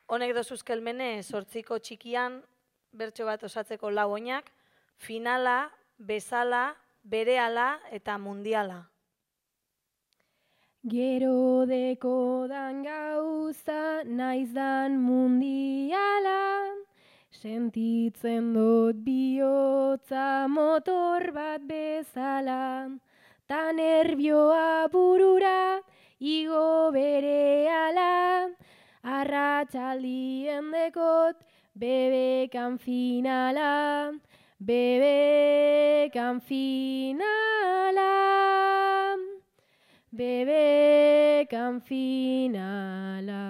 Honek dozuzkelmene sortziko txikian bertso bat osatzeko lau oinak, finala, bezala, berehala eta mundiala. Gero deko dan gauza naiz dan mundiala, sentitzen dut bihotza motor bat bezala, ta nervioa burura igo berehala, arratsaldien dekot bebekan finala, bebekan finala. Bebekan finala.